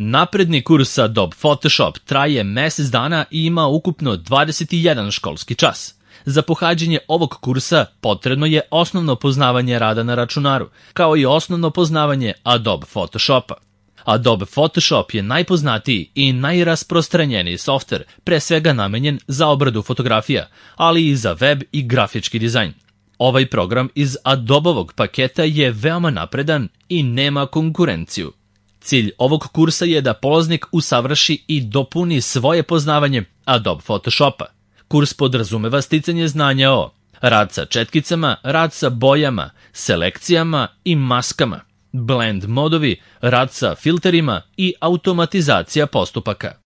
Napredni kurs Adobe Photoshop traje mesec dana i ima ukupno 21 školski čas. Za pohađanje ovog kursa potrebno je osnovno poznavanje rada na računaru, kao i osnovno poznavanje Adobe Photoshopa. Adobe Photoshop je najpoznatiji i najrasprostranjeniji softver, pre svega namenjen za obradu fotografija, ali i za web i grafički dizajn. Ovaj program iz Adobovog paketa je veoma napredan i nema konkurenciju. Cilj ovog kursa je da polaznik usavrši i dopuni svoje poznavanje Adobe Photoshopa. Kurs podrazumeva sticanje znanja o rad sa četkicama, rad sa bojama, selekcijama i maskama, blend modovi, rad sa filterima i automatizacija postupaka.